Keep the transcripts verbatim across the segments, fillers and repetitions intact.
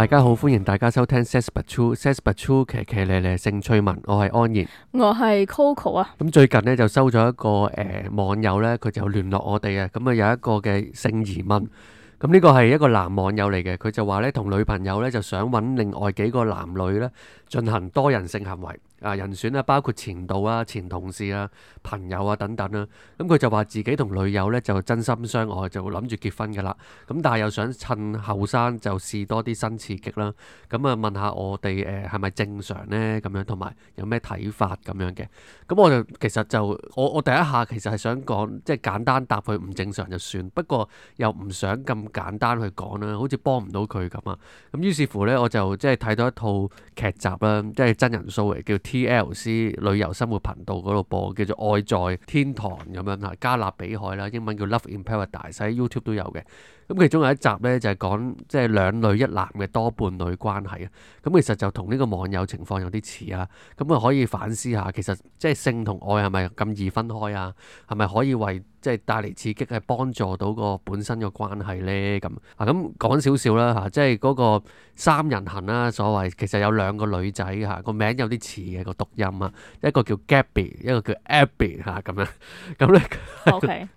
大家好，歡迎大家收聽 Sex But True，Sex But True 騎騎咧咧性趣聞，我係安然。我係 Coco 啊。咁最近呢，就收咗一個誒、呃、網友呢，佢就聯絡我哋啊，咁啊有一個嘅性疑問。咁呢個係一個男網友嚟嘅，佢就話呢，同女朋友呢，就想揾另外幾個男女呢，進行多人性行為。啊，人選啊，包括前度啊、前同事啊、朋友啊等等啦。咁佢就話自己同女友呢就真心相愛，就諗住結婚噶啦。咁但係又想趁後生就試多啲新刺激啦。咁啊問下我哋誒係咪正常呢？咁樣同埋有咩睇法咁樣嘅。咁我就其實就我我第一下其實係想講，即係簡單答佢唔正常就算。不過又唔想咁簡單去講啦，好似幫唔到佢咁啊。咁於是乎呢，我就即係睇到一套劇集啦，即係真人 show 嚟，叫 T L C 旅遊生活頻道嗰度播，叫做《愛在天堂》咁樣嚇，加勒比海啦，英文叫 Love in Paradise，喺 YouTube 都有嘅。咁其中有一集呢，就係講即係兩女一男嘅多伴侶關係啊。咁其實就同呢個網友情況有啲似啊。咁啊可以反思下，其實即係性同愛係咪咁易分開啊？係咪可以為即係帶嚟刺激，係幫助到個本身嘅關係呢？咁啊咁講少少啦嚇，即係嗰個三人行啦，所謂其實有兩個女仔嚇，個名有啲似嘅個讀音啊，一個叫 Gabby， 一個叫 Abby 嚇咁樣。咁咧 OK，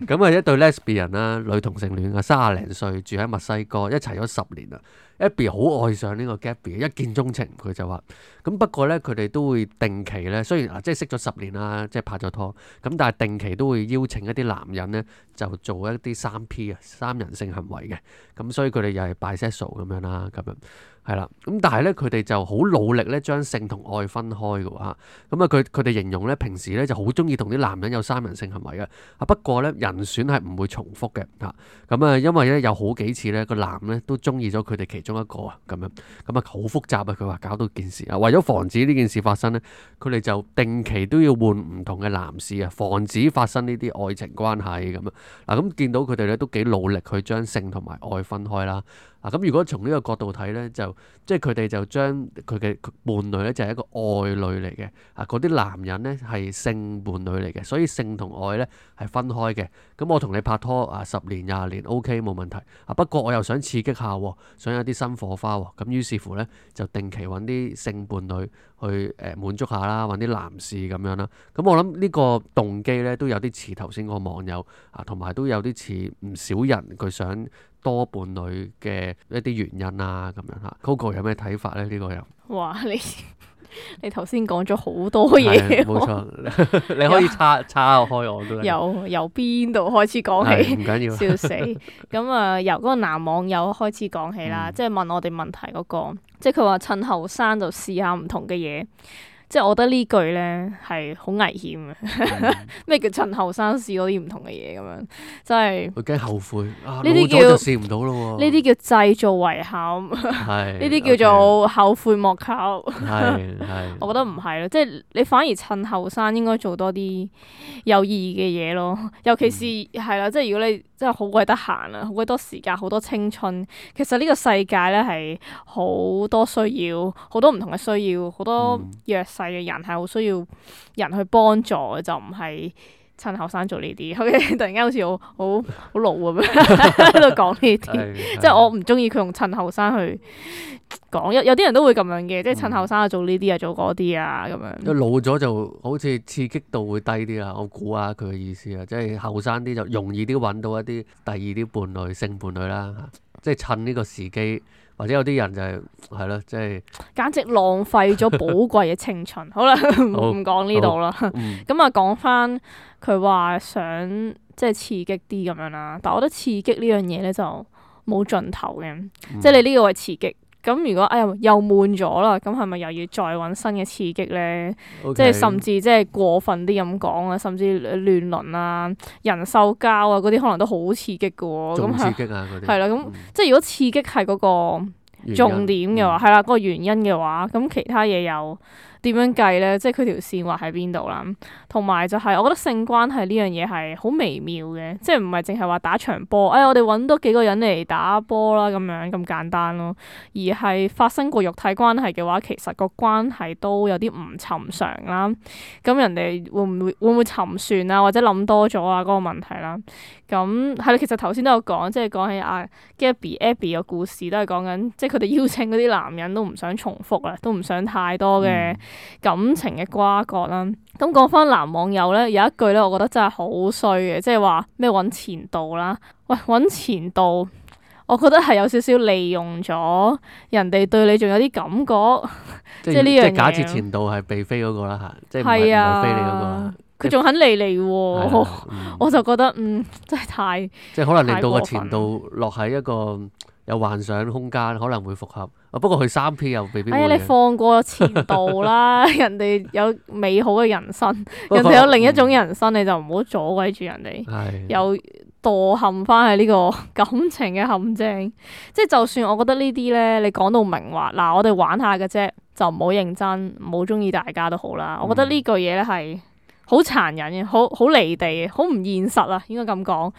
咁啊一對 lesbian 啦，女同性戀啊，卅零歲住喺墨西哥，一齊咗十年啦。Abby 好愛上呢個 Gabby，一見鐘情，佢就話咁。不過呢，佢哋都會定期呢，雖然啊即係識咗十年啦，即係拍咗拖，咁但係定期都會邀請一啲男人呢，就做一啲三 P 啊，三人性行為嘅。咁所以佢哋又係 bisexual 咁樣啦，咁樣係啦。咁但係呢，佢哋就好努力呢，將性同愛分開嘅喎嚇。咁啊，佢佢哋形容呢，平時呢就好中意同啲男人有三人性行為嘅。啊不過呢，人選係唔會重複嘅嚇。咁啊，因為呢，有好幾次呢個男呢都中意咗佢哋其中一個啊，咁樣咁啊好複雜啊。佢話搞到件事啊，為咗防止呢件事發生呢，佢哋就定期都要換唔同嘅男士啊，防止發生呢啲愛情關係咁啊。嗱，咁見到佢哋咧都幾努力去將性同埋愛分開啦。嗱，咁如果從呢個角度睇呢，就即係佢哋就將佢嘅伴侶呢，就係一個愛侶嚟嘅啊，嗰啲男人呢，係性伴侶嚟嘅，所以性同愛呢係分開嘅。咁我同你拍拖啊十年廿年 OK 冇問題啊，不過我又想刺激下，想有啲新火花，咁於是乎呢，就定期揾啲性伴侶去誒滿足下啦，揾啲男士咁樣啦。咁我諗呢個動機呢，都有啲似頭先個網友啊，同埋都有啲似唔少人佢想多伴侶嘅一啲原因啊，咁樣嚇。Coco 有咩睇法呢？呢、呢個又哇！你你頭先講咗好多嘢，冇錯，你可以叉叉開我都由由邊度開始講起？唔緊要，笑死！咁啊，由嗰個男網友開始講起啦，嗯、即係問我哋問題嗰、嗰個，即係佢話趁後生就試下唔同嘅嘢。即係我覺得呢句咧係好危險嘅。咩、嗯、叫趁後生試嗰啲唔同嘅嘢咁樣？真係佢驚後悔啊！呢啲叫老咗就試唔到咯喎。呢啲叫製造遺憾。係呢啲叫做後悔莫及。係係。我覺得唔係咯，即係你反而趁後生應該做多啲有意義嘅嘢咯。尤其是係啦、嗯，即係如果你真係好鬼得閒啊，好鬼多時間，好多青春，其實呢個世界咧係好多需要，好多唔同嘅需要，好多弱勢嘅人係好需要人去幫助嘅，就唔係趁後生做呢啲。OK， 突然間好似好好好老咁樣喺度講呢啲，即係我唔中意佢用趁後生去講。有有啲人都會咁樣嘅，即係趁後生啊做呢啲啊做嗰啲啊咁樣。老咗就好似刺激度會低啲啦，我估下佢嘅意思啊，即係後生啲就容易啲揾到一啲第二啲伴侶性伴侶啦，即係趁呢個時機。或者有啲人就係係咯，即係簡直浪費咗寶貴嘅青春。好啦，唔講呢度啦。咁啊，講翻佢話想即係刺激啲咁樣啦。但係我覺得刺激呢樣嘢咧就冇盡頭嘅，嗯、即係你呢個係刺激。咁如果哎呀又悶咗啦，咁係咪又要再揾新嘅刺激咧？Okay. 即係甚至即係過分啲咁講啊，甚至亂倫啊、人獸交啊嗰啲，可能都好刺激嘅喎。仲刺激啊！嗰啲係啦，咁、嗯、即係如果刺激係嗰個重點嘅話，係啦，嗰個原因嘅話，咁其他嘢又點樣計咧？即係佢條線畫喺邊度啦？同埋就係我覺得性關係呢樣嘢係好微妙嘅，即係唔係淨係話打場波，哎我哋揾多幾個人嚟打波啦咁樣咁簡單咯，而係發生過肉體關係嘅話，其實個關係都有啲唔尋常啦。咁人哋會唔會會唔會沉船啊，或者諗多咗啊嗰個問題啦？咁係啦，其實頭先都有講，即係講起阿 Gabby、Abby 嘅故事，都係講緊，即係佢哋邀請嗰啲男人都唔想重複啦，都唔想太多嘅感情嘅瓜葛啦。咁講翻男網友咧，有一句咧，我覺得真係好衰嘅，即係話咩揾前度啦。喂，揾前度，我覺得係有少少利用咗人哋對你仲有啲感覺，即係呢樣嘢。即係假設前度係被飛嗰個啦嚇，即係唔係唔係飛你嗰個啦。佢仲肯理你喎，嗯、我就覺得嗯真係太即係可能令到個前度落喺一個有幻想空間，可能會復合。不過佢三 P 又未必會。哎呀，你放過前度啦，人哋有美好嘅人生，人哋有另一種人生，嗯、你就唔好阻鬼住人哋，又墮陷翻喺呢個感情嘅陷阱。即係就算我覺得呢啲咧，你講到明話嗱，我哋玩下嘅啫，就唔好認真，唔好中意大家都好啦。我覺得呢句嘢咧係好殘忍嘅，好好離地嘅，好唔現實啊！應該咁講，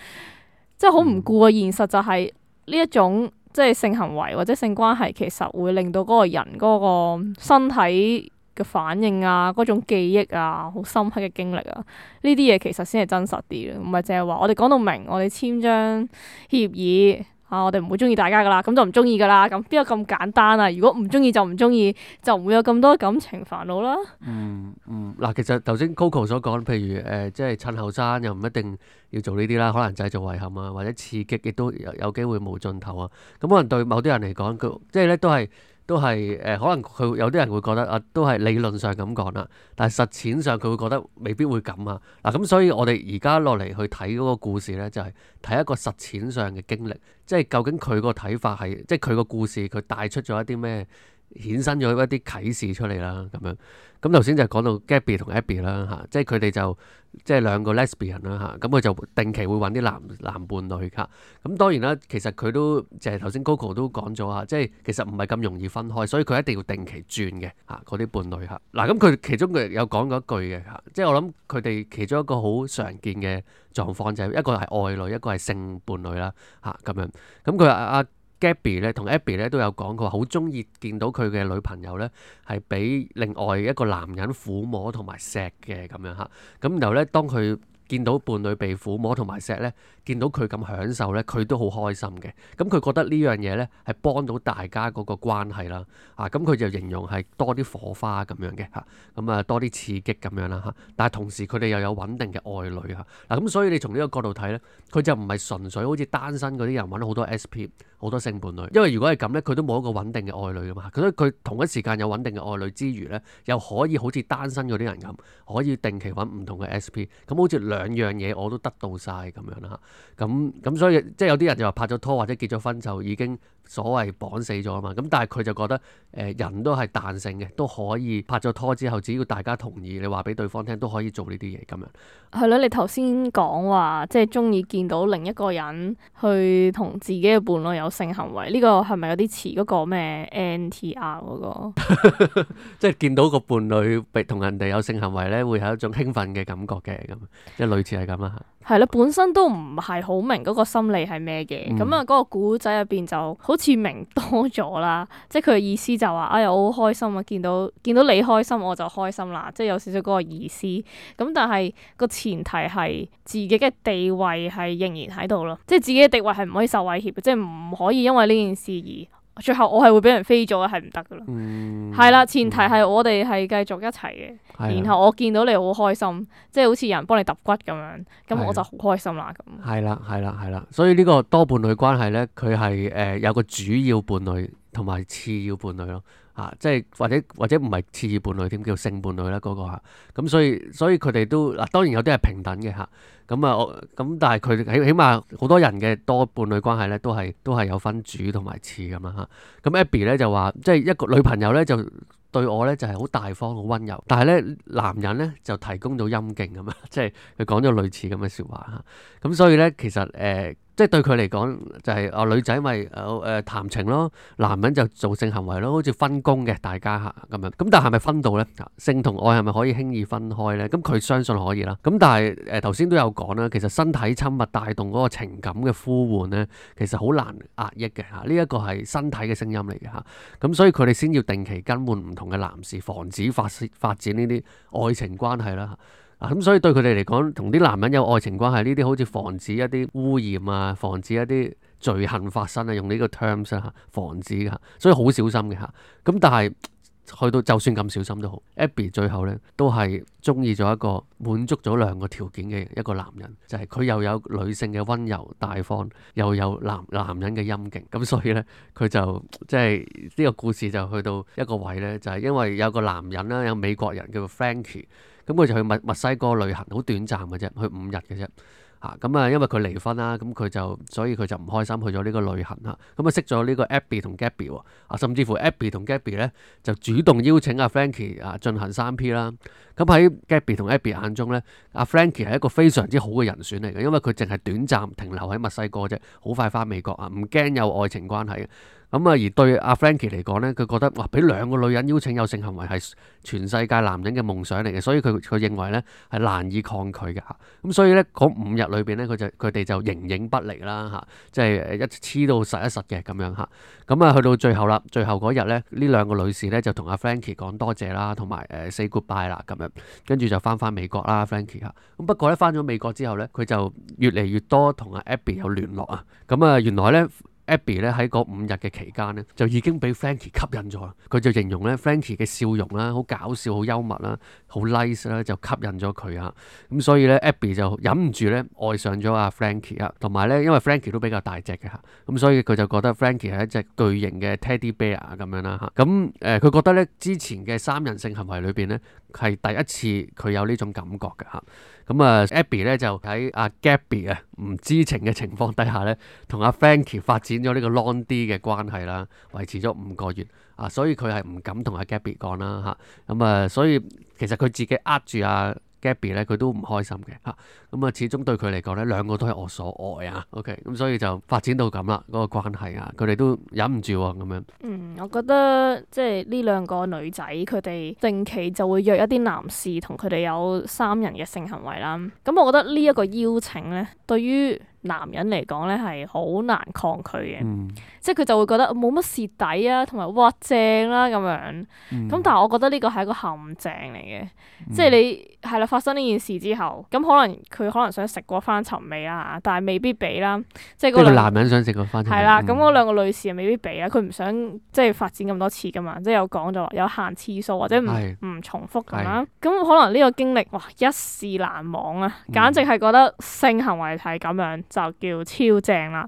即係好唔顧個現實，就係呢一種即係性行為或者性關係，其實會令到嗰個人嗰個身體嘅反應啊，嗰種記憶啊，好深刻嘅經歷啊，呢啲嘢其實先係真實啲嘅，唔係淨係話我哋講到明，我哋簽張協議。啊！我哋唔會中意大家噶啦，咁就唔中意噶啦，咁邊有咁簡單啊？如果唔中意就唔中意，就唔會有咁多感情煩惱啦。嗯嗯，嗱，其實頭先 Coco 所講，譬如誒、呃，即係趁後生又唔一定要做呢啲啦，可能製造遺憾啊，或者刺激，亦都有有機會冇盡頭啊。咁可能對某啲人嚟講，佢即係咧都係。都係誒、呃，可能佢有啲人會覺得啊，都係理論上咁講啦，但係實踐上佢會覺得未必會咁啊。嗱，咁所以我哋而家落嚟去睇嗰個故事咧，就係、是、睇一個實踐上嘅經歷，即係究竟佢個睇法係，即係佢個故事佢帶出咗一啲咩，衍生咗一啲啟示出嚟啦，咁樣。咁頭先就講到 Gabby 同 Abby 啦嚇，即係佢哋就即係兩個 lesbian 啦嚇，咁佢就定期會揾啲男男伴侶㗎。咁當然啦，其實佢都就係頭先 Coco 都講咗嚇，即係其實唔係咁容易分開，所以佢一定要定期轉嘅嚇嗰啲伴侶嚇。嗱，咁佢其中佢有講過一句嘅嚇，即係我諗佢哋其中一個好常見嘅狀況就係一個係愛侶，一個係性伴侶啦嚇咁樣。咁佢阿 Gabby 咧同 Abby 咧都有講，佢話好中意見到佢嘅女朋友咧係俾另外一個男人撫摸同埋錫嘅咁樣嚇，咁然後咧當佢見到伴侶被撫摸同埋錫咧，見到佢咁享受咧，佢都好開心嘅。咁佢覺得呢樣嘢咧係幫到大家嗰個關係啦。啊，咁佢就形容係多啲火花咁樣嘅嚇，咁啊多啲刺激咁樣啦嚇。但係同時佢哋又有穩定嘅愛侶嚇。嗱，咁所以你從呢個角度睇咧，佢就唔係純粹好似單身嗰啲人揾好多 S P 好多性伴侶，因為如果係咁咧，佢都冇一個穩定嘅愛侶噶嘛。所以佢同一時間有穩定嘅愛侶之餘咧，又可以好似單身嗰啲人咁，可以定期揾唔同嘅 S P，咁好似兩樣嘢我都得到晒咁樣啦。咁咁所以即係有啲人就話拍咗拖或者結咗婚就已經所謂綁死咗啊嘛。咁但係佢就覺得誒、呃、人都係彈性嘅，都可以拍咗拖之後，只要大家同意，你話俾對方聽都可以做呢啲嘢咁樣。係咯，你頭先講話即係中意見到另一個人去同自己嘅伴侶有性行為，呢、這個係咪有啲似嗰個咩 N T R 嗰、那個？即係見到個伴侶被同人哋有性行為咧，會係一種興奮嘅感覺嘅咁，即係類似係咁啦。係啦，本身都唔係好明嗰個心理係咩嘅，咁啊嗰個古仔入邊就好似明多咗啦，即係佢嘅意思就話、是，哎呀我好開心啊，見到見到你開心我就開心啦，即係有少少嗰個意思。咁但係個前提係自己嘅地位係仍然喺度咯，即係自己嘅地位係唔可以受威脅嘅，即係唔可以因為呢件事而。最後我係會俾人飛咗嘅，係唔得噶咯。係啦、嗯，前提係我哋係繼續一齊嘅。嗯、然後我見到你好開心，即係好似有人幫你揼骨咁樣，咁我就好開心啦。咁係啦，係啦，係啦。所以呢個多伴侶關係咧，佢係誒有個主要伴侶同埋次要伴侶咯。啊，即係或者或者唔係次要伴侶添，叫性伴侶啦嗰個嚇。咁所以所以佢哋都嗱，當然有啲係平等嘅嚇。咁啊，我咁但係佢起起碼好多人嘅多伴侶關係咧，都係都係有分主同埋次咁啦嚇。咁 Abby 咧就話，即係一個女朋友咧就對我咧就係好大方好溫柔，但係咧男人咧就提供到陰莖咁啊，即係佢講咗類似咁嘅説話嚇。咁所以咧其實誒。呃即係對佢嚟講就係、是、啊女仔咪誒誒談情咯，男人就做性行為咯，好似分工嘅大家嚇咁樣。咁但係咪分到呢？性同愛係咪可以輕易分開呢？咁佢相信可以啦。咁但係誒頭先都有講啦，其實身體親密帶動嗰個情感嘅呼喚呢，其實好難壓抑嘅嚇。呢一個係身體嘅聲音嚟嘅嚇。咁所以佢哋先要定期更換唔同嘅男士，防止發發展呢啲愛情關係啦。啊咁，所以對佢哋嚟講，同啲男人有愛情關係呢啲，好似防止一啲污染啊，防止一啲罪行發生啊，用呢個 terms 嚇，防止嚇，所以好小心嘅嚇。咁但係去到就算咁小心都好 Abby 最後咧都係中意咗一個滿足咗兩個條件嘅一個男人，就係、是、佢又有女性嘅溫柔大方，又有男男人嘅陰莖。咁所以咧佢就即係呢個故事就去到一個位咧，就係、是、因為有個男人啦，有美國人叫做 Frankie。咁佢就去墨墨西哥旅行，好短暫嘅啫，去五日嘅啫。嚇咁啊，因為佢離婚啦，咁佢就所以佢就唔開心，去咗呢個旅行嚇。咁啊，識咗呢個 Abby 同 Gabby 喎。啊，甚至乎 Abby 同 Gabby 咧就主動邀請阿 Frankie 啊進行三 P 啦。咁喺 Gabby 同 Abby 眼中咧，阿 Frankie 係一個非常之好嘅人選嚟嘅，因為佢淨係短暫停留喺墨西哥啫，好快翻美國啊，唔驚有愛情關係嘅。咁啊，而對阿 Frankie 嚟講咧，佢覺得哇，俾兩個女人邀請有性行為係全世界男人嘅夢想嚟嘅，所以佢佢認為咧係難以抗拒嘅嚇。咁所以咧嗰五日裏邊咧，佢就佢哋就形影不離啦嚇，即係一黐到實一實嘅咁樣嚇。咁啊，去到最後啦，最後嗰日咧，呢兩個女士咧就同阿 Frankie 講多謝啦，同埋誒 say goodbye 啦咁樣，跟住就翻返美國啦 Frankie 嚇。咁不過咧翻咗美國之後咧，佢就越嚟越多同阿 Abby 有聯絡啊。咁啊，原來咧。Abby 咧喺嗰五日嘅期間咧，就已經俾 Frankie 吸引咗。佢就形容咧 Frankie 嘅笑容啦，好搞笑、好幽默啦、好 nice 啦，就吸引咗佢啊。咁所以咧 Abby 就忍唔住咧愛上咗阿 Frankie 啊。同埋咧，因為 Frankie 都比較大隻嘅嚇，咁所以佢就覺得 Frankie 係一隻巨型嘅 Teddy Bear 咁樣啦嚇。咁誒，佢覺得咧之前嘅三人性行為裏邊咧係第一次佢有呢種感覺嘅嚇。咁啊 Abby 咧就喺阿 Gabby 啊唔知情嘅情況底下咧，同阿 Frankie 發展咗呢個 long 啲嘅關係啦，維持咗五個月啊，所以佢係唔敢同阿 Gabby 講啦嚇。咁啊，所以其實佢自己呃住阿 Gabby 咧，佢都唔開心嘅嚇。咁啊，始終對佢嚟講咧，兩個都係我所愛啊。OK，咁所以就發展到咁啦，嗰個關係啊，佢哋都忍唔住喎咁樣。嗯，我覺得即係呢兩個女仔，佢哋定期就會約一啲男士同佢哋有三人嘅性行為啦。咁我覺得呢一個邀請咧，對於男人嚟講咧係好難抗拒嘅，嗯、即係佢就會覺得冇乜蝕底啊，同埋哇正啦、啊、咁樣。咁、嗯、但係我覺得呢個係一個陷阱嚟嘅，嗯、即係你係啦發生呢件事之後，咁可能佢可能想食過翻尋味啦，但係未必俾啦。即係嗰個男人想食過翻尋味。係啦，咁嗰兩個女士又未必俾啦，佢唔想即係發展咁多次噶嘛，即係有講咗話有限次數或者唔唔重複咁啦。咁可能呢個經歷哇一試難忘啊，簡直係覺得性行為係咁樣。就叫超正啦，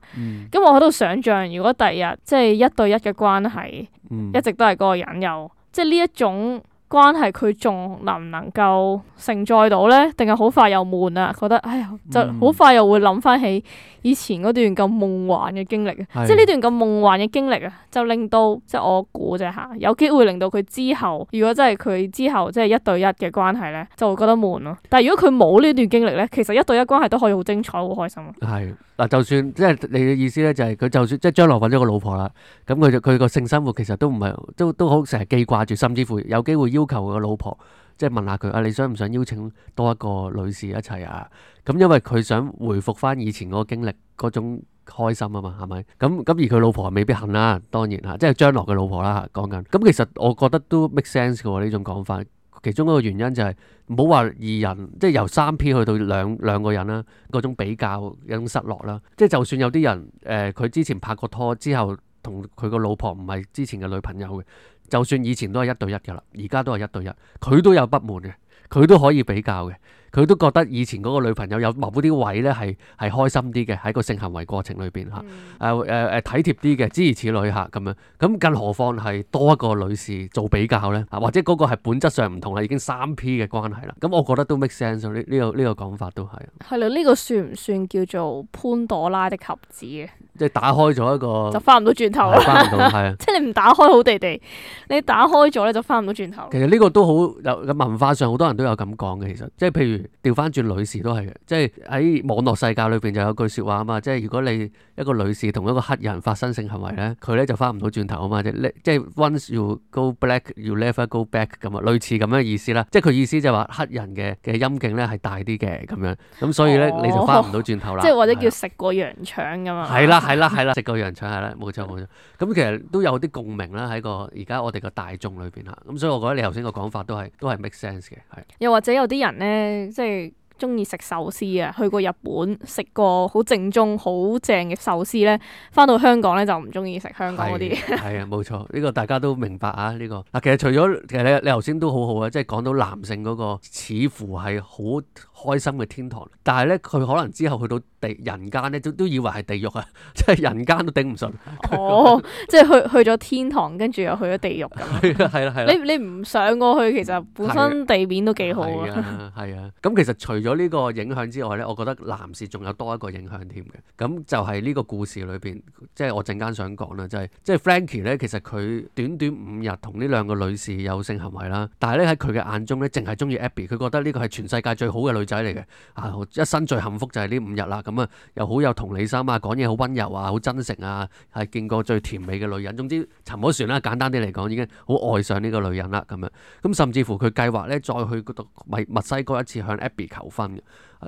咁、嗯、我喺度想像，如果第日即係一對一嘅關係，嗯、一直都係嗰個人有，即係呢一種關係，佢仲能唔能夠承載到呢？定係好快又悶啊？覺得哎呀，就好快又會諗翻起以前嗰段咁夢幻嘅經歷啊！嗯、即係呢段咁夢幻嘅經歷啊，就令到即係我估啫嚇，有機會令到佢之後，如果真係佢之後即係一對一嘅關係呢，就會覺得悶咯。但係如果佢冇呢段經歷呢，其實一對一關係都可以好精彩、好開心啊！係嗱，就算即係你嘅意思呢，就係佢就算即係將來揾咗個老婆啦，咁佢就佢個性生活其實都唔係都都好成日記掛住，甚至乎有機會要求個老婆。即係問下佢啊，你想唔想邀請多一個女士一齊啊？咁因為佢想回復翻以前嗰個經歷嗰種開心啊嘛，係咪？咁咁而佢老婆未必肯啦，當然嚇，即係將來嘅老婆啦講緊。咁其實我覺得都 make sense 嘅喎呢種講法。其中一個原因就係唔好話二人，即係由三 P 去到兩兩個人啦，嗰種比較有種失落啦。即係就算有啲人誒，佢、呃、之前拍過拖之後，同佢個老婆唔係之前嘅女朋友嘅。就算以前都係一對一㗎啦，而家都係一對一，佢都有不滿嘅，佢都可以比較嘅，佢都覺得以前嗰個女朋友有某啲位咧係係開心啲嘅，喺個性行為過程裏邊嚇，誒誒誒體貼啲嘅，諸如此類嚇咁樣，咁更何況係多一個女士做比較咧，或者嗰個係本質上唔同啦，已經三 P 嘅關係啦，咁我覺得都 make sense 呢呢、呢個呢、呢個講法都係。係啦，呢、呢個算唔算叫做潘朵拉的盒子嘅？即係打開咗一個就翻唔到轉頭係翻唔到，係啊。即係你唔打開好地地，你打開咗咧就翻唔到轉頭。其實呢個都好有文化上好多人都有咁講嘅，其實即係譬如調翻轉女士都係嘅，即係喺網絡世界裏邊就有句説話啊嘛，即係如果你一個女士同一個黑人發生性行為咧，佢咧就翻唔到轉頭啊嘛，即係即係 once you go black you never go back 咁啊，類似咁樣嘅意思啦。即係佢意思就係話黑人嘅嘅陰莖咧係大啲嘅咁樣，咁所以咧、哦、你就翻唔到轉頭啦。即係或者叫食過羊腸咁嘛。係啦係啦係啦，食過羊腸係啦，冇錯冇錯。咁其實都有啲共鳴啦喺個而家我哋個大眾裏邊嚇，咁所以我覺得你頭先個講法都係都係 make sense 嘅，係。又或者有啲人咧，即係中意食壽司啊，去過日本食過好正宗、好正嘅壽司咧，翻到香港咧就唔中意食香港嗰啲。係啊，冇錯，呢個大家都明白啊。呢個嗱，其實除咗其實你你頭先都好好啊，即係講到男性嗰個似乎係好開心嘅天堂，但係咧佢可能之後去到地人間咧，都都以為係地獄啊，即係人間都頂唔順。哦，即係去去咗天堂，跟住又去咗地獄咁。係啦係啦係啦。你你唔上過去，其實本身地面都幾好啊。係啊係啊。咁其實除咗呢個影響之外咧，我覺得男士仲有多一個影響添嘅。咁就係呢個故事裏邊，即係我陣間想講啦，就係即係 Frankie 咧，其實佢短短五日同呢兩個女士有性行為啦，但係咧喺佢嘅眼中咧，淨係中意 Abby，佢覺得呢個係全世界最好嘅女仔嚟嘅，啊一生最幸福就係呢五日啦。咁啊又好有同理心啊，講嘢好溫柔啊，好真誠啊，係見過最甜美嘅女人。總之沉咗船啦，簡單啲嚟講，已經好愛上呢個女人啦咁樣。咁甚至乎佢計劃咧再去嗰度墨墨西哥一次向 Abby 求婚嘅。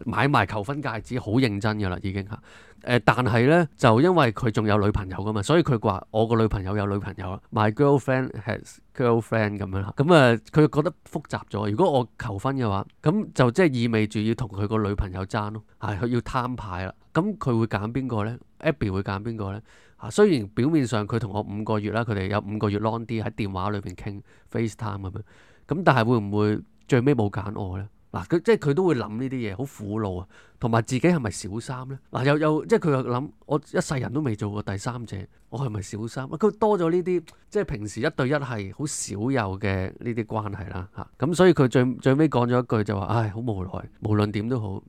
買埋求婚戒指，好認真㗎啦，已經嚇。誒、呃，但係咧就因為佢仲有女朋友㗎嘛，所以佢話我個女朋友有女朋友啦，My girlfriend has girlfriend 咁樣啦。咁、嗯、啊，佢覺得複雜咗。如果我求婚嘅話，咁就即係意味住要同佢個女朋友爭咯，係佢要攤牌啦。咁佢會揀邊個咧 ？Abby 會揀邊個咧？啊，雖然表面上佢同我五個月啦，佢哋有五個月 long 啲喺電話裏邊傾 FaceTime 咁樣，咁但係會唔會最尾冇揀我咧？嗱，佢即係佢都會諗呢啲嘢，好苦惱啊，同埋自己係咪小三咧？嗱，又又即係佢又諗，我一世人都未做過第三者，我係咪小三？佢多咗呢啲，即係平時一對一係好少有嘅呢啲關係啦，嚇、啊。咁所以佢最最尾講咗一句就話，唉，好無奈，無論點都好，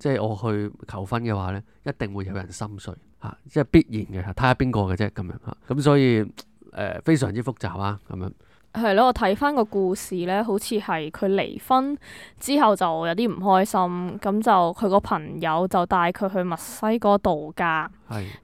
即係我去求婚嘅話咧，一定會有人心碎嚇、啊，即係必然嘅，睇下邊個嘅啫咁樣嚇。咁、啊、所以誒、呃、非常之複雜啊，咁樣。係咯，我睇翻個故事咧，好似係佢離婚之後就有啲唔開心，咁就佢個朋友就帶佢去墨西哥度假，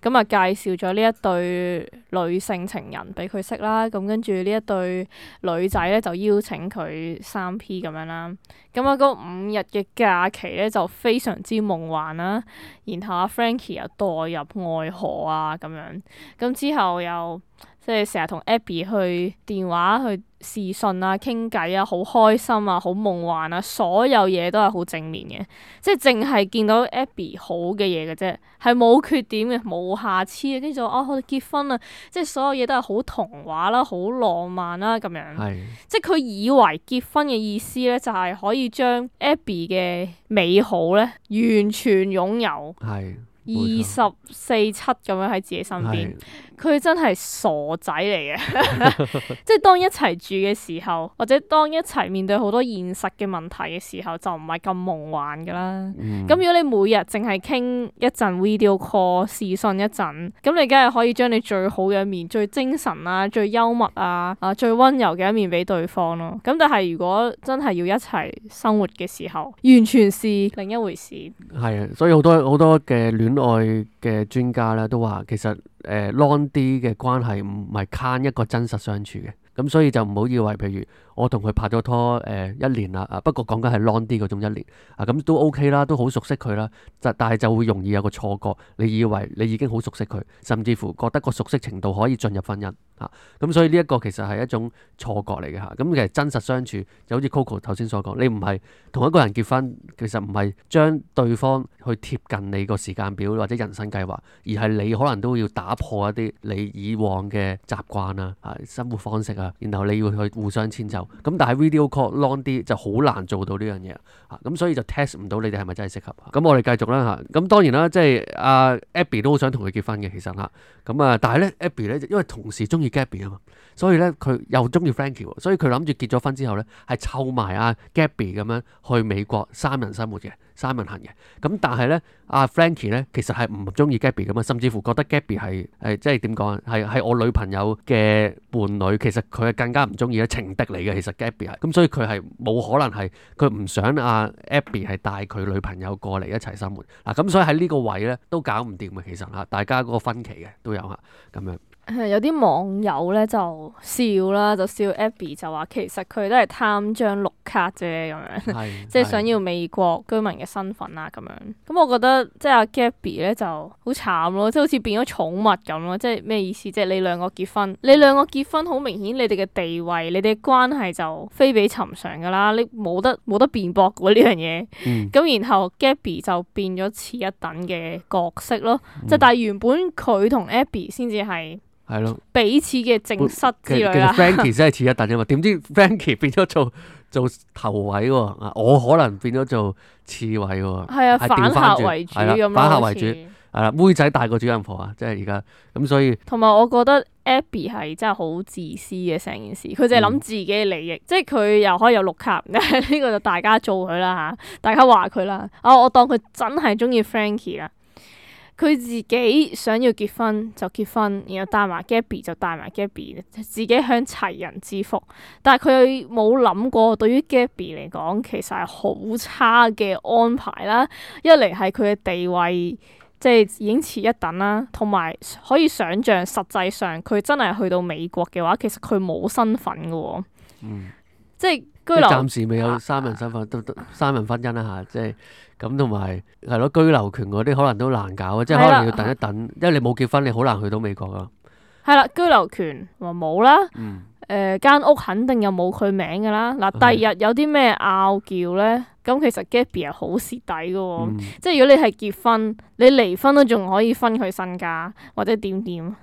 咁啊是介紹咗呢一對女性情人俾佢識啦，咁跟住呢一對女仔咧就邀請佢三 P 咁樣啦，咁啊嗰五日嘅假期咧就非常之夢幻啦，然後阿 Frankie 又墮入愛河啊咁樣，咁之後又。即係成日同 Abby 去電話去視訊啊、傾偈啊，好開心啊、好夢幻啊，所有嘢都係好正面嘅，即係淨係見到 Abby 好嘅嘢嘅啫，係冇缺點嘅、冇瑕疵嘅，跟住就哦，我哋結婚啦，即係所有嘢都係好童話啦、好浪漫啦咁樣，是即係佢以為結婚嘅意思咧，就係可以將 Abby 嘅美好咧完全擁有。二十四七咁樣喺自己身邊，佢真係傻仔嚟嘅，即係當一齊住嘅時候，或者當一齊面對好多現實嘅問題嘅時候，就唔係咁夢幻噶啦。咁、嗯、如果你每日淨係傾一陣 video call 視訊一陣，咁你梗係可以將你最好嘅一面、最精神啊、最幽默啊、啊最溫柔嘅一面俾對方咯。咁但係如果真係要一齊生活嘅時候，完全是另一回事。係啊，所以好多好多嘅戀愛嘅專家咧都話，其實誒 long 啲嘅關係唔係慳一個真實相處嘅，咁所以就唔好以為，譬如我同佢拍咗拖誒、呃、一年啦，啊不過講緊係 long 啲嗰種一年啊，咁都 OK 啦，都好熟悉佢啦，但係就會容易有個錯覺，你以為你已經好熟悉佢，甚至乎覺得個熟悉程度可以進入婚姻嚇，咁、啊、所以呢一個其實係一種錯覺嚟嘅嚇，咁其實真實相處就好似 Coco 頭先所講，你唔係同一個人結婚，其實唔係將對方去貼近你個時間表或者人生計劃，而係你可能都要打破一啲你以往嘅習慣啊、啊生活方式啊，然後你要去互相遷就。咁但係 video call long 啲就好難做到呢樣嘢啊，咁所以就 test 唔到你哋係咪真係適合。咁我哋繼續啦嚇。咁當然啦，即係阿 Abby 都好想同佢結婚嘅，其實嚇。咁啊，但係咧 Abby 咧，因為同時中意 Gabby 啊嘛，所以咧佢又中意 Frankie 喎，所以佢諗住結咗婚之後咧係湊埋阿 Gabby 咁樣去美國三人生活嘅。Simon 行嘅。咁但係咧，阿 Frankie 咧其實係唔中意 Gabby 噶嘛，甚至乎覺得 Gabby 係誒即係點講啊？係係我女朋友嘅伴侶，其實佢係更加唔中意咧，情敵嚟嘅。其實 Gabby 係咁，所以佢係冇可能係佢唔想阿 Abby 係帶佢女朋友過嚟一齊生活嗱。咁所以喺呢個位咧都搞唔掂嘅。其實嚇，大家嗰個分歧嘅都有嚇咁樣。有啲網友咧就笑啦，就笑 Abby 就話其實佢都係貪張綠卡啫咁樣，即係想要美國居民嘅身份啊咁樣。咁我覺得即係阿 Gabby 咧就好慘咯，即係好似變咗寵物咁咯。即係咩意思？即係你兩個結婚，你兩個結婚好明顯，你哋嘅地位、你哋嘅關係就非比尋常噶啦，你冇得冇得辯駁嘅呢樣嘢。咁、嗯、然後 Gabby 就變咗次一等嘅角色咯，即係、嗯、但係原本佢同 Abby 先至係。係咯，彼此嘅正室之類啦。其實 Frankie 真係次一等啫嘛，點知 Frankie 變咗做做頭位喎，我可能變咗做次位喎。係啊，反客為主咁咯，反客為主係啦，妹仔大過主人婆啊，即係而家咁，所以同埋我覺得 Abby 係真係好自私嘅成件事，佢淨係諗自己嘅利益，嗯、即係佢又可以有綠卡，呢個就大家做佢啦嚇，大家話佢啦。啊，我當佢真係中意 Frankie 啦。佢自己想要結婚就結婚，然後帶埋 Gabby 就帶埋 Gabby， 自己享齊人之福。但係佢冇諗過，對於 Gabby 嚟講，其實係好差嘅安排啦。一嚟係佢嘅地位，即係已經次一等啦，同埋可以想像實際上佢真係去到美國嘅話，其實佢冇身份嘅喎。嗯，即係居留，暫時未有三人身份，都都三人婚姻啦嚇，即係。咁同埋係咯，居留權嗰啲可能都難搞啊，即係可能要等一等，的因為你冇結婚，你好難去到美國啊。係啦，居留權話冇啦，誒間、呃、屋肯定又冇佢名㗎啦。嗱，第二日有啲咩拗撬咧，咁其實 Gabby 係好蝕底㗎喎，嗯、即係如果你係結婚，你離婚都仲可以分佢身家或者點點，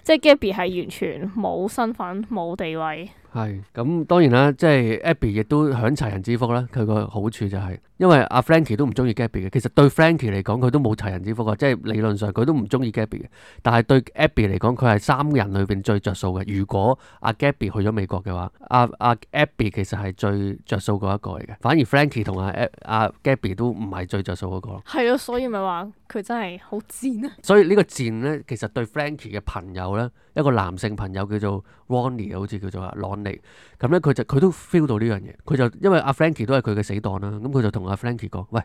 即係 Gabby 係完全冇身份冇地位。係，咁當然啦，即係 Abby 亦都享齊人之福啦。佢個好處就係、是，因為阿 Frankie 都唔中意 Gabby 嘅，其實對 Frankie 嚟講佢都冇齊人之福啊，即係理論上佢都唔中意 Gabby 嘅。但係對 Abby 嚟講，佢係三人裏邊最着數嘅。如果阿 Gabby 去咗美國嘅話，阿阿 Abby 其實係最着數嗰一個嚟嘅，反而 Frankie 同阿阿 Gabby 都唔係最着數嗰個咯。係咯，所以咪話佢真係好賤啊！所以呢個賤咧，其實對 Frankie 嘅朋友咧，一個男性朋友叫做 Ronnie， 好似叫做啊朗尼，咁咧佢就佢都 feel 到呢樣嘢，佢就因為阿 Frankie 都係佢嘅死黨啦，咁佢就同阿 Frankie 講：喂，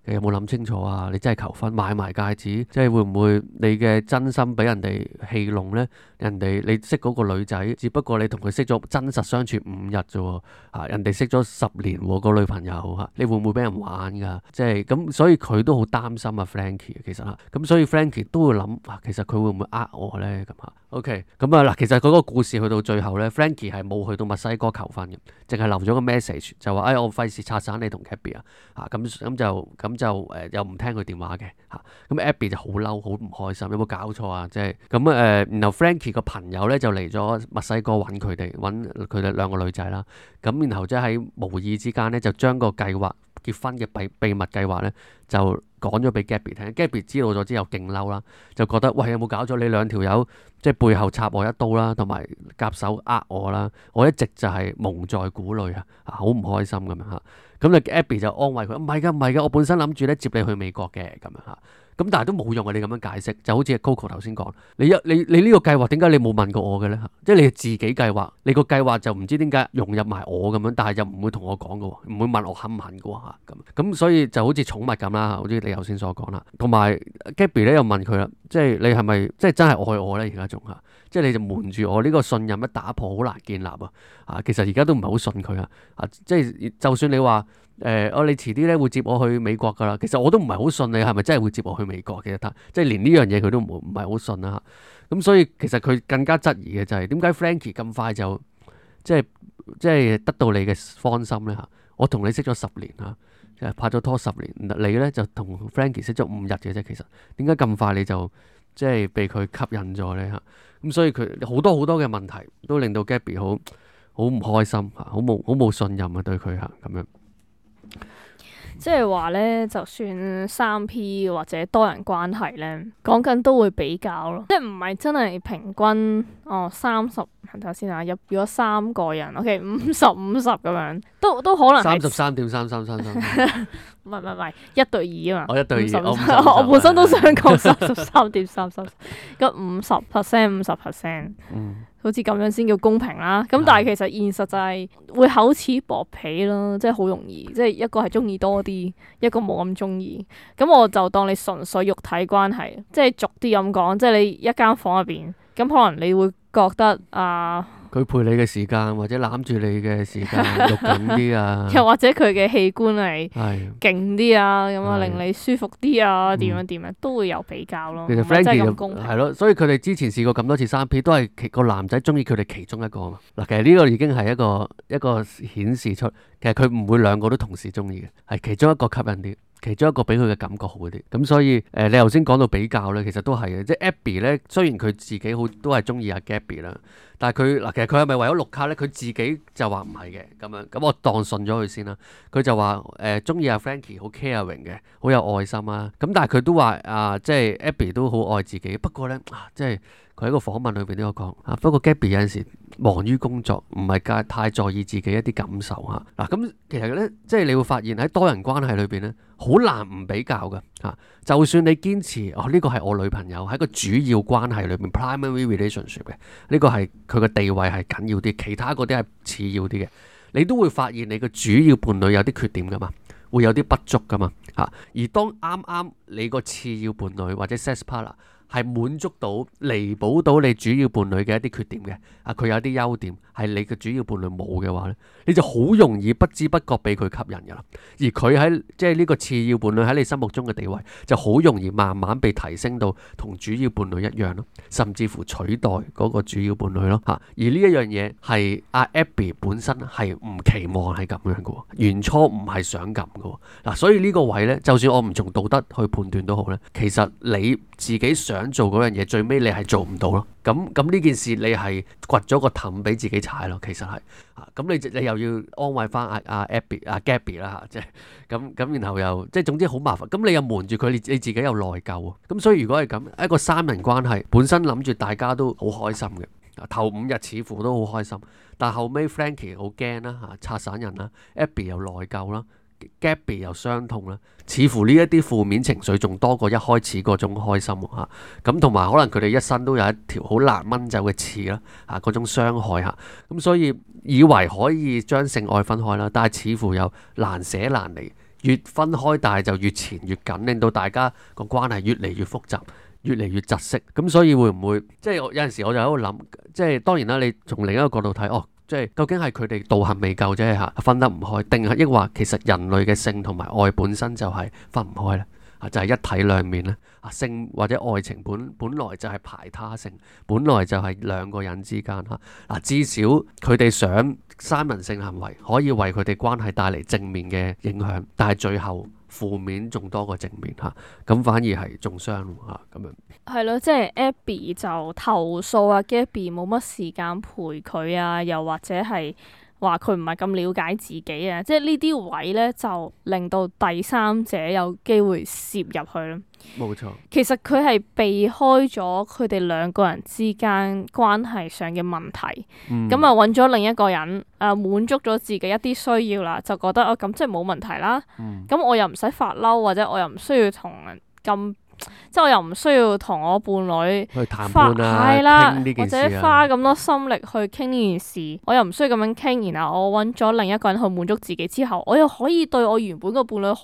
你有冇諗清楚啊？你真係求婚買埋戒指，即係會唔會你嘅真心俾人哋戲弄咧？人哋你識嗰個女仔，只不過你同佢識咗真實相處五日啫喎，啊人哋識咗十年喎個女朋友嚇，你會唔會俾人玩㗎？即係咁，所以佢都好擔心啊 Frankie 其實嚇，咁所以 Frankie 都會諗，哇，其實佢會唔會呃我咧咁嚇？OK，咁啊嗱，其實嗰個故事去到最後咧 Frankie 係冇去到墨西哥求婚嘅，淨係留咗個 message 就話：哎，我費事拆散你同 Gabby 啊，嚇咁咁就咁就誒、呃、又唔聽佢電話嘅嚇，咁 Abby 就好嬲，好唔開心，有冇搞錯啊？即係咁誒，然後 Frankie 個朋友咧就嚟咗墨西哥揾佢哋，揾佢哋兩個女仔啦。咁然後即係喺無意之間咧，就將個計劃結婚嘅秘秘密計劃咧，就講咗俾 Gabby 聽。Gabby 知道咗之後勁嬲啦，就覺得喂，有冇搞咗？你兩條友即係背後插我一刀啦，同埋夾手呃我啦。我一直就係蒙在鼓裏啊，好唔開心咁樣嚇。咁就 Abby 就安慰佢：唔係㗎，唔係㗎，我本身諗住咧接你去美國嘅咁樣嚇。咁但係都冇用啊！你咁樣解釋，就好似 Coco 頭先講，你一你你呢個計劃點解你冇問過我嘅咧？即係你自己計劃，你個計劃就唔知點解融入埋我咁樣，但係又唔會同我講嘅喎，唔會問我肯唔肯嘅喎嚇咁。咁所以就好似寵物咁啦，好似你頭先所講啦。同埋 Gabby 咧又問佢啦，即係你係咪即係真係愛我咧？而家仲嚇，即係你就瞞住我呢個信任一打破好難建立啊！啊，其實而家都唔係好信佢啊！啊，即係就算你話。誒，我、呃、你遲啲咧會接我去美國噶啦，其實我都唔係好信你係咪真係會接我去美國嘅，即係連呢樣嘢佢都唔唔係好信啦。咁所以其實佢更加質疑嘅就係點解 Frankie 咁快就即係即係得到你嘅芳心咧嚇？我同你識咗十年嚇，拍咗拖十年，你咧就同 Frankie 識咗五日嘅啫。其實點解咁快你就即係被佢吸引咗咧嚇？咁所以佢好多好多嘅問題都令到 Gabby 好好唔開心嚇，好冇好冇信任啊對佢嚇咁樣。即係話咧，就算三 P 或者多人關係咧，講緊都會比較咯，即係唔係真係平均哦三十，睇下先啊，入咗三個人，OK 五十五十咁樣，都都可能三十三點三三三三，唔係唔係唔係一對二啊嘛。我一對二，我五十我本身都想講三十三點三三，咁五十 percent 五十 percent，嗯，好似咁樣先叫公平啦。咁但係其實現實就係會厚此薄彼咯，即係好容易，即係一個係中意多啲，一個冇咁中意。咁我就當你純粹肉體關係，即係俗啲咁講，即係你一間房入邊，咁可能你會覺得啊。佢陪你嘅時間或者攬住你嘅時間肉緊啲啊，又或者佢嘅器官係係勁啲啊，咁啊係令你舒服啲啊，點樣點樣都會有比較咯。其實唔係真係 Frankie 咁公平。係咯，所以佢哋之前試過咁多次三 P，都係其個男仔中意佢哋其中一個啊嘛。嗱，其實呢個已經係一個一個顯示出，其實佢唔會兩個都同時中意嘅，係其中一個吸引啲。其中一個俾佢嘅感覺好啲，咁所以誒、呃，你頭先講到比較咧，其實都係嘅，即係 Abby 咧，雖然佢自己好都係中意阿 Gabby 啦，但係佢嗱，其實佢係咪為咗綠卡咧？佢自己就話唔係嘅，咁樣，咁我當信咗佢先啦。佢就話誒中意阿 Frankie 好 caring 嘅，好有愛心啊。咁但係佢都話啊，即係 Abby 都好愛自己，不過咧啊，即係佢喺個訪問裏邊都有講啊。不過 Gabby 有陣時忙於工作，唔係太在意自己一啲感受嚇。嗱、啊，咁其實咧，即係你會發現喺多人關係裏邊咧，好難唔比較㗎嚇、啊。就算你堅持哦，呢、這個係我女朋友，喺個主要關係裏邊 primary relationship 嘅，呢、這個係佢嘅地位係緊要啲，其他嗰啲係次要啲嘅。你都會發現你嘅主要伴侶有啲缺點㗎嘛，會有啲不足㗎嘛嚇、啊。而當啱啱你個次要伴侶或者 sex partner 係滿足到、彌補到你主要伴侶嘅一啲缺點嘅，啊佢有啲優點係你嘅主要伴侶冇嘅話咧，你就好容易不知不覺俾佢吸引㗎啦。而佢喺即係呢個次要伴侶喺你心目中嘅地位，就好容易慢慢被提升到同主要伴侶一樣咯，甚至乎取代嗰個主要伴侶咯嚇。而呢一樣嘢係阿 Abby 本身係唔期望係咁樣嘅喎，原初唔係想咁嘅喎嗱，所以呢個位咧，就算我唔從道德去判斷都好咧，其實你自己想做嗰樣嘢，最尾你係做唔到咯。咁咁呢件事你係掘咗個氹俾自己踩咯，其實係啊。咁你你又要安慰翻阿阿 Abby 阿 Gabby 啦嚇，即係咁咁，然後又即係總之好麻煩。咁你又瞞住佢，你你自己又內疚喎。咁所以如果係咁一個三人關係，本身諗住大家都好開心嘅，頭五日似乎都好開心，但後尾 Frankie 好驚啦嚇，拆散人啦 ，Abby 又內疚啦。Gabby 又傷痛啦，似乎呢一啲負面情緒仲多過一開始嗰種開心嚇，咁同埋可能佢哋一生都有一條好難掹走嘅刺啦，嚇嗰種傷害嚇，咁所以以為可以將性愛分開啦，但係似乎又難捨難離，越分開但係就越纏越緊，令到大家個關係越嚟越複雜，越嚟越窒息，咁所以會唔會即係有陣時我就喺度諗，即係當然啦，你從另一個角度睇，哦。即係究竟係佢哋道行未夠啫嚇，分得唔開，定係抑或其實人類嘅性同埋愛本身就係分唔開咧？啊，就係一體兩面咧。啊，性或者愛情本本來就係排他性，本來就係兩個人之間嚇。嗱，至少佢哋想三人性行為可以為佢哋關係帶嚟正面嘅影響，但係最後負面仲多過正面嚇，咁反而係中傷嚇咁樣。係咯，即係 Abby 就投訴啊，Gabby 冇乜時間陪佢啊，又或者係話佢唔係咁了解自己啊，即係呢啲位咧就令到第三者有機會涉入去咯。冇錯，其實佢係避開咗佢哋兩個人之間關係上嘅問題，咁啊揾咗另一個人，誒、呃、滿足咗自己一啲需要啦，就覺得啊咁即係冇問題啦。咁、嗯、我又唔使發嬲，或者我又唔需要同人咁。即係我又唔需要同我伴侶去談判啊，係啦，傾呢件事啊，或者花咁多心力去傾呢件事，我又唔需要咁樣傾，然後我揾咗另一個人去滿足自己之後，我又可以對我原本個伴侶好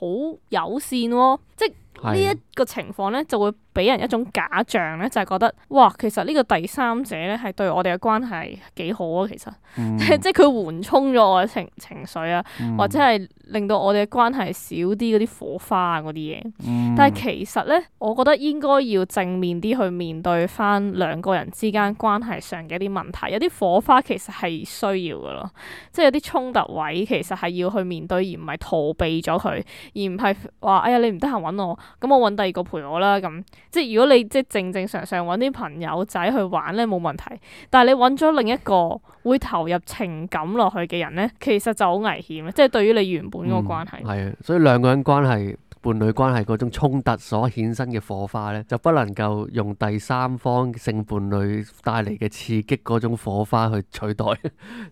友善喎，即係呢一個情況咧就會俾人一種假象咧，就係、是、覺得哇，其實呢個第三者咧係對我哋嘅關係幾好啊，其實，嗯、即係佢緩衝咗我嘅情情緒啊，嗯、或者係令到我哋嘅關係少啲嗰啲火花啊嗰啲嘢。嗯、但係其實咧，我覺得應該要正面啲去面對翻兩個人之間關係上嘅一啲問題，有啲火花其實係需要噶咯，即係有啲衝突位其實係要去面對，而唔係逃避咗佢，而唔係話哎呀你唔得閒揾我，咁我揾第二個陪我啦咁。即係如果你即係正正常常揾啲朋友仔去玩咧冇問題，但係你揾咗另一個會投入情感落去嘅人咧，其實就好危險，即係對於你原本嗰個關係。係啊、嗯，所以兩個人關係伴侶關係嗰種衝突所衍生嘅火花咧，就不能夠用第三方性伴侶帶嚟嘅刺激嗰種火花去取代。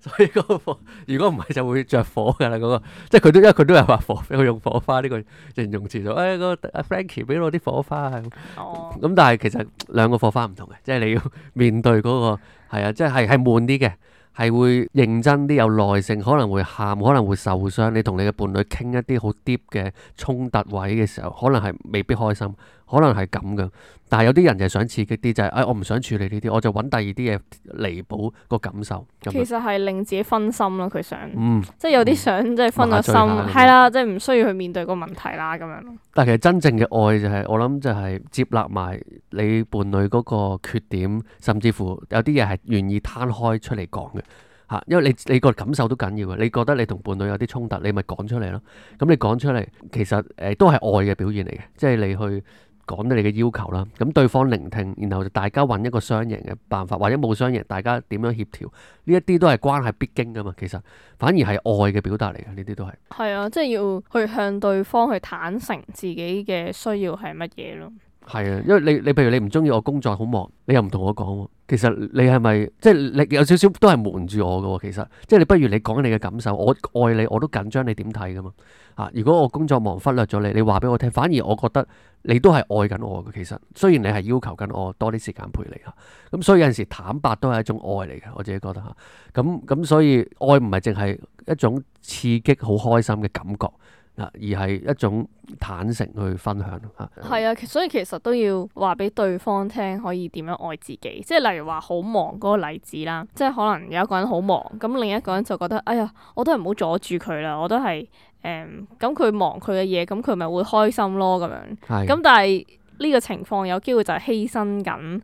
所以嗰個火，如果唔係就會着火㗎啦。嗰個即係佢都因為佢都係話火，佢用火花呢個形容詞就誒個阿 Frankie 俾我啲火花啊。哦，咁但係其實兩個火花唔同嘅，即係你要面對嗰個係啊，即係係係悶啲嘅。係會認真啲，有耐性，可能會喊，可能會受傷。你同你嘅伴侶傾一啲好 deep 嘅衝突位嘅時候，可能係未必開心，可能係咁嘅。但係有啲人就係想刺激啲，就係、是、誒、哎、我唔想處理呢啲，我就揾第二啲嘢彌補個感受。咁其實係令自己分心咯，佢想，嗯、即係有啲想即係分咗心，係啦，即係唔需要去面對個問題啦咁樣咯。但係其實真正嘅愛就係、是、我諗就係接納埋你伴侶嗰個缺點，甚至乎有啲嘢係願意攤開出嚟講嘅。嚇，因為你你個感受都緊要嘅，你覺得你同伴侶有啲衝突，你咪講出嚟咯。咁你講出嚟，其實誒、呃、都係愛嘅表現嚟嘅，即係你去講你嘅要求啦。咁對方聆聽，然後大家揾一個雙贏嘅辦法，或者冇雙贏，大家點樣協調？呢一啲都係關係必經噶嘛。其實反而係愛嘅表達嚟嘅，呢啲都係。係啊，即係要去向對方去坦誠自己嘅需要係乜嘢咯。係啊，因為你你譬如你唔中意我工作好忙，你又唔同我講喎。其實你係咪即係你有少少都係瞞住我嘅喎？其實即係你不如你講你嘅感受，我愛你我都緊張，你點睇噶嘛？啊，如果我工作忙忽略咗你，你話俾我聽，反而我覺得你都係愛緊我嘅。其實雖然你係要求緊我多啲時間陪你嚇，咁所以有陣時坦白都係一種愛嚟嘅，我自己覺得嚇。咁咁所以愛唔係淨係一種刺激好開心嘅感覺。而係一種坦誠去分享嚇。係啊，所以其實都要話俾對方聽，可以點樣愛自己。即係例如話好忙嗰個例子啦，即係可能有一個人好忙，咁另一個人就覺得，哎呀，我都係唔好阻住佢啦，我都係誒，咁佢忙佢嘅嘢，咁佢咪會開心咯咁樣。咁但係呢個情況有機會就係犧牲緊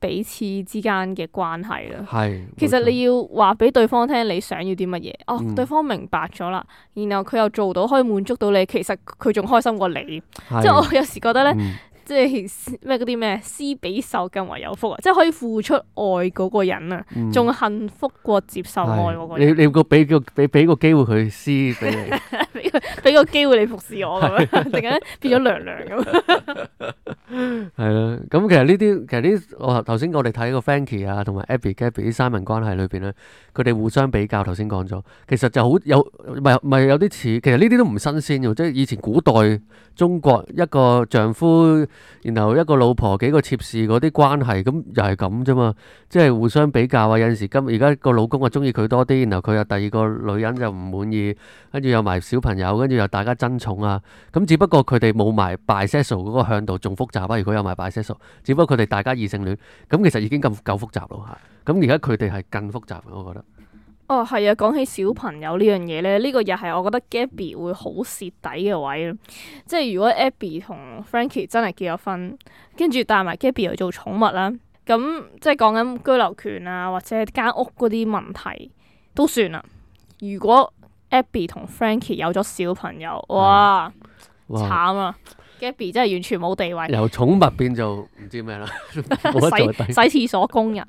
彼此之間嘅關係啦，係，其實你要話俾對方聽你想要啲乜嘢，哦，嗯、對方明白咗啦，然後佢又做到可以滿足到你，其實佢仲開心過你，即係我有時覺得咧。嗯即係咩嗰啲咩施比受更為有福啊！即係可以付出愛嗰個人啊，仲、嗯、幸福過接受愛嗰個人。你你個俾個俾俾個機會佢施俾你，俾個俾個機會你服侍我咁樣，突然間變咗娘娘咁。係啦，咁其實呢啲其實呢，我頭先我哋睇個 Frankie 啊，同埋 Abby、Gabby 啲三人關係裏邊咧，佢哋互相比較。頭先講咗，其實就好有唔係唔係有啲似，其實呢啲都唔新鮮嘅，即係以前古代中國一個丈夫。然後一個老婆幾個妾侍嗰啲關係，咁又係咁啫嘛，即係互相比較啊。有陣時今而家個老公啊中意佢多啲，然後佢又第二個女人就唔滿意，跟住又埋小朋友，跟住又大家爭寵啊。咁只不過佢哋冇埋 bisexual 嗰個向度仲複雜啊。如果有埋 bisexual，只不過佢哋大家異性戀，咁其實已經咁夠複雜咯嚇。咁而家佢哋係更複雜，我覺得。哦，係啊！講起小朋友呢樣嘢咧，呢、呢個又係我覺得 Gabby 會好蝕底嘅位咯。即係如果 Abby 同 Frankie 真係結咗婚，跟住帶埋 Gabby 去做寵物啦，咁即係講緊居留權啊，或者間屋嗰啲問題都算啦。如果 Abby 同 Frankie 有咗小朋友，哇，哇慘啊！Gabby 真係完全冇地位，由寵物變做唔知咩啦，洗洗廁所工人。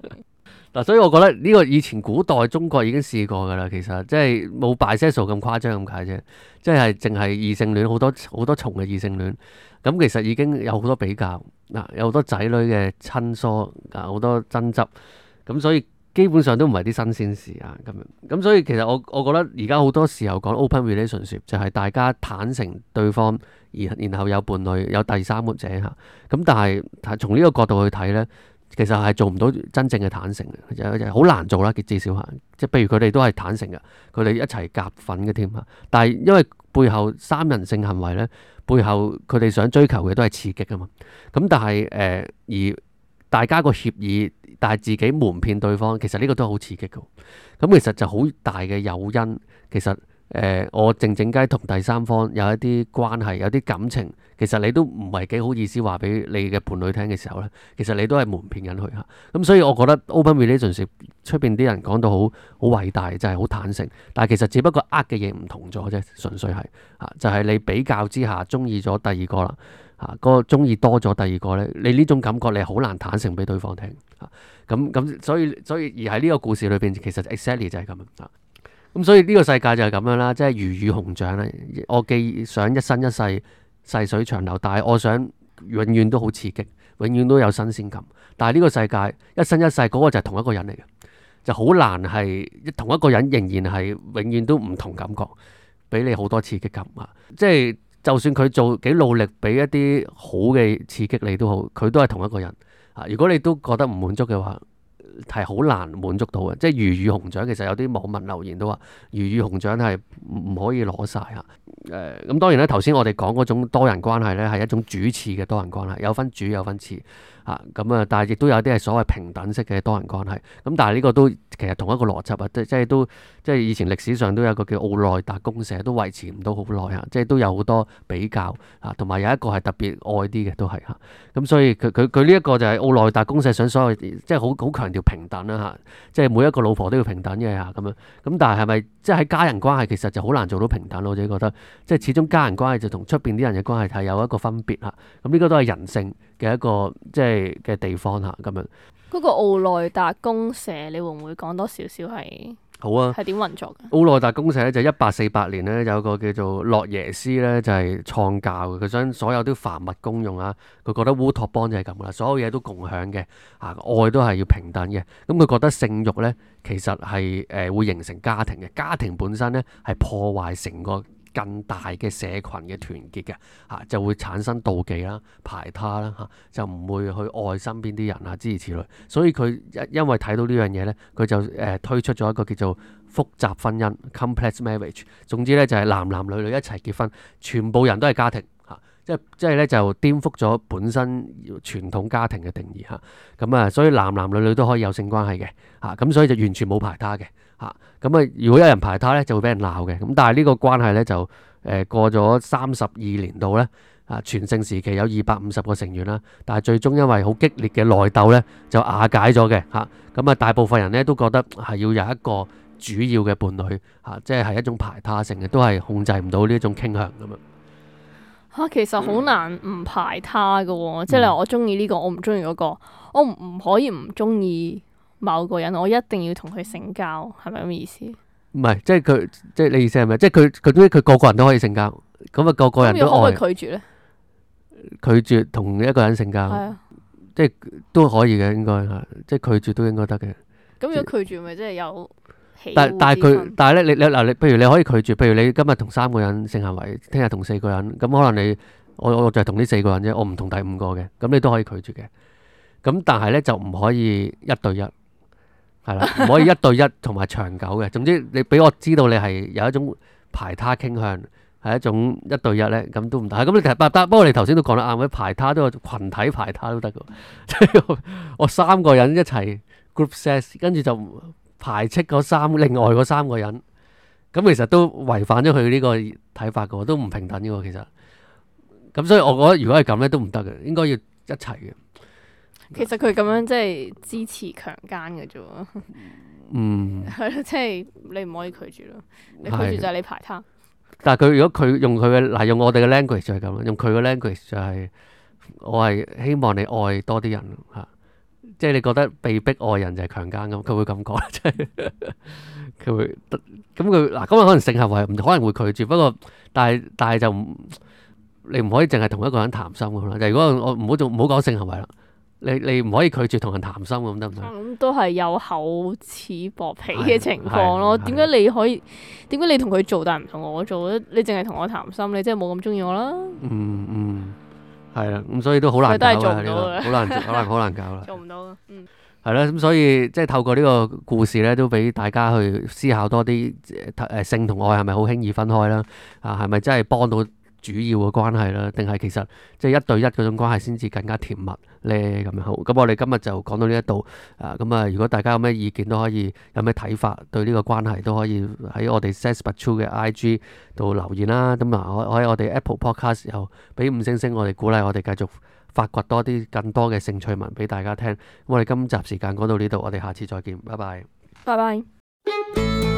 嗱，所以我覺得呢個以前古代中國已經試過㗎啦，其實即係冇 bisexual 咁誇張咁解啫，即係淨係異性戀好多好多重嘅異性戀，咁其實已經有好多比較，嗱有好多仔女嘅親疏，啊好多爭執，咁所以基本上都唔係啲新鮮事啊咁樣，咁所以其實我我覺得而家好多時候講 open relationship 就係大家坦誠對方，而然後有伴侶有第三者嚇，咁但係從呢個角度去睇咧。其實係做唔到真正嘅坦誠嘅，好難做啦。至少嚇，即係譬如佢哋都係坦誠嘅，佢哋一齊夾份嘅添嚇。但係因為背後三人性行為咧，背後佢哋想追求嘅都係刺激啊嘛。咁但係誒、呃、而大家個協議，但係自己瞞騙對方，其實呢個都係好刺激嘅。咁其實就好大嘅誘因，其實。誒、呃，我靜靜雞同第三方有一啲關係，有啲感情，其實你都唔係幾好意思話俾你嘅伴侶聽嘅時候咧，其實你都係瞞騙緊佢嚇。咁所以我覺得 open relationship 出邊啲人講到好好偉大，就係、是、好坦誠，但係其實只不過呃嘅嘢唔同咗啫，純粹係嚇，就係、是、你比較之下中意咗第二個啦嚇，嗰個中意多咗第二個咧，你呢種感覺你係好難坦誠俾對方聽嚇。咁咁所以所以而喺呢個故事裏邊，其實 exactly 就係咁啊。咁所以呢個世界就係咁樣啦，即係魚與熊掌啦。我既想一生一世細水長流，但係我想永遠都好刺激，永遠都有新鮮感。但係呢個世界一生一世嗰個就係同一個人嚟嘅，就好難係同一個人仍然係永遠都唔同感覺，俾你好多刺激感啊！即係就算佢做幾努力，俾一啲好嘅刺激你都好，佢都係同一個人啊！如果你都覺得唔滿足嘅話，係好難滿足到嘅。即係魚與熊掌，其實有啲網民留言都話魚與熊掌係唔可以攞晒啊！誒、呃、咁當然咧，頭先我哋講嗰種多人關係咧，係一種主次嘅多人關係，有分主有分次啊。咁啊，但係亦都有啲係所謂平等式嘅多人關係。咁但係呢個都其實同一個邏輯啊，即係都即係以前歷史上都有一個叫奧內達公社，都維持唔到好耐啊。即係都有好多比較啊，同埋有一個係特別愛啲嘅都係嚇。咁、啊、所以佢佢佢呢一個就係奧內達公社想所謂即係好好強調平等啦嚇、啊，即係每一個老婆都要平等嘅嚇咁樣。咁但係係咪即係喺家人關係其實就好難做到平等？我自己覺得。即係始終家人關係就同出邊啲人嘅關係係有一個分別嚇，咁呢個都係人性嘅一個即係嘅地方嚇咁樣。嗰個奧內達公社，你會唔會講多少少係？好啊，係點運作嘅？奧內達公社咧就一八四八年咧有個叫做洛耶斯咧就係創教嘅，佢想所有啲凡物公用啊，佢覺得烏托邦就係咁噶啦，所有嘢都共享嘅啊，愛都係要平等嘅。咁佢覺得性慾咧其實係誒會形成家庭嘅，家庭本身咧係破壞成個更大嘅社群嘅團結嘅嚇、啊，就會產生妒忌啦、排他啦嚇、啊，就唔會去愛身邊啲人啊，諸如此類。所以佢因因為睇到呢樣嘢咧，佢就誒、呃、推出咗一個叫做複雜婚姻 （complex marriage）。總之咧就係、是、男男女女一齊結婚，全部人都係家庭嚇、啊，即係即係咧就顛覆咗本身傳統家庭嘅定義嚇。咁啊，所以男男女女都可以有性關係嘅嚇，咁、啊、所以就完全冇排他嘅。嚇咁啊！如果有人排他咧，就會俾人鬧嘅。咁但係呢個關係咧就誒、呃、過咗三十二年度咧啊，全盛時期有二百五十個成員啦，但係最終因為好激烈嘅內鬥咧就瓦解咗嘅嚇。咁啊，大部分人咧都覺得係要有一個主要嘅伴侶嚇、啊，即係係一種排他性嘅，都係控制唔到呢一種傾向咁樣嚇。其實好難唔排他嘅喎，即係你話我中意呢個，我唔中意嗰個，我唔唔可以唔中意某個人，我一定要同佢性交，係咪咁意思？唔係，即係佢，即係你意思係咪？即係佢佢總之佢個個人都可以性交，咁啊個個人都愛。可唔可以拒絕咧？拒絕同一個人性交，啊、即係都可以嘅，應該係，即係拒絕都應該得嘅。咁如果拒絕，咪即係有喜惡之分？但但係佢，但係咧，你你嗱，你譬如你可以拒絕，譬如你今日同三個人性行為，聽日同四個人，咁可能你我我就係同呢四個人啫，我唔同第五個嘅，咁你都可以拒絕嘅。咁但係咧就唔可以一對一。係啦，唔可以一對一同埋長久嘅。總之你俾我知道你係有一種排他傾向，係一種一對一咧，咁都唔得。咁你其實不不過你頭先都講得啱，排他都有群體排他都得嘅。即係我，我三個人一齊 group sex，跟住就排斥嗰三另外嗰三個人，咁其實都違反咗佢呢個睇法嘅，都唔平等嘅其實。咁所以我覺得如果係咁咧都唔得嘅，應該要一齊嘅。其實佢咁樣即係支持強姦嘅啫喎，嗯，係咯，即係你唔可以拒絕咯，你拒絕就係你排他。但係佢如果佢用佢嘅嗱用我哋嘅 language 就係咁，用佢嘅 language 就係、是、我係希望你愛多啲人嚇，即係你覺得被逼愛人就係強姦咁，佢會咁講，即係佢會咁佢嗱咁可能性行為唔可能會拒絕，不過但係但係就唔你唔可以淨係同一個人談心咁啦。就如果我唔好做唔好講性行為啦。你你唔可以拒絕同人談心咁得唔得？咁都係有厚此薄彼嘅情況咯。點解你可以？點解你同佢做，但係唔同我做咧？你淨係同我談心，你真係冇咁中意我啦。嗯嗯，係啦，咁所以都好難搞啦，呢個好難好難好難搞啦。做唔到，嗯。係啦，咁所以即係透過呢個故事咧，都俾大家去思考多啲誒性同愛係咪好輕易分開啦？啊，係咪真係幫到主要嘅關係啦，定係其實即係一對一嗰種關係先至更加甜蜜咧？咁樣好，咁我哋今日就講到呢一度啊。咁啊，如果大家有咩意見都可以，有咩睇法對呢個關係都可以喺我哋 Sex But True 嘅 I G 度留言啦。咁啊，我喺我哋 Apple Podcast 又俾五星星，我哋鼓勵我哋繼續發掘多啲更多嘅性趣聞俾大家聽。咁我哋今集時間講到呢度，我哋下次再見，拜拜。拜拜。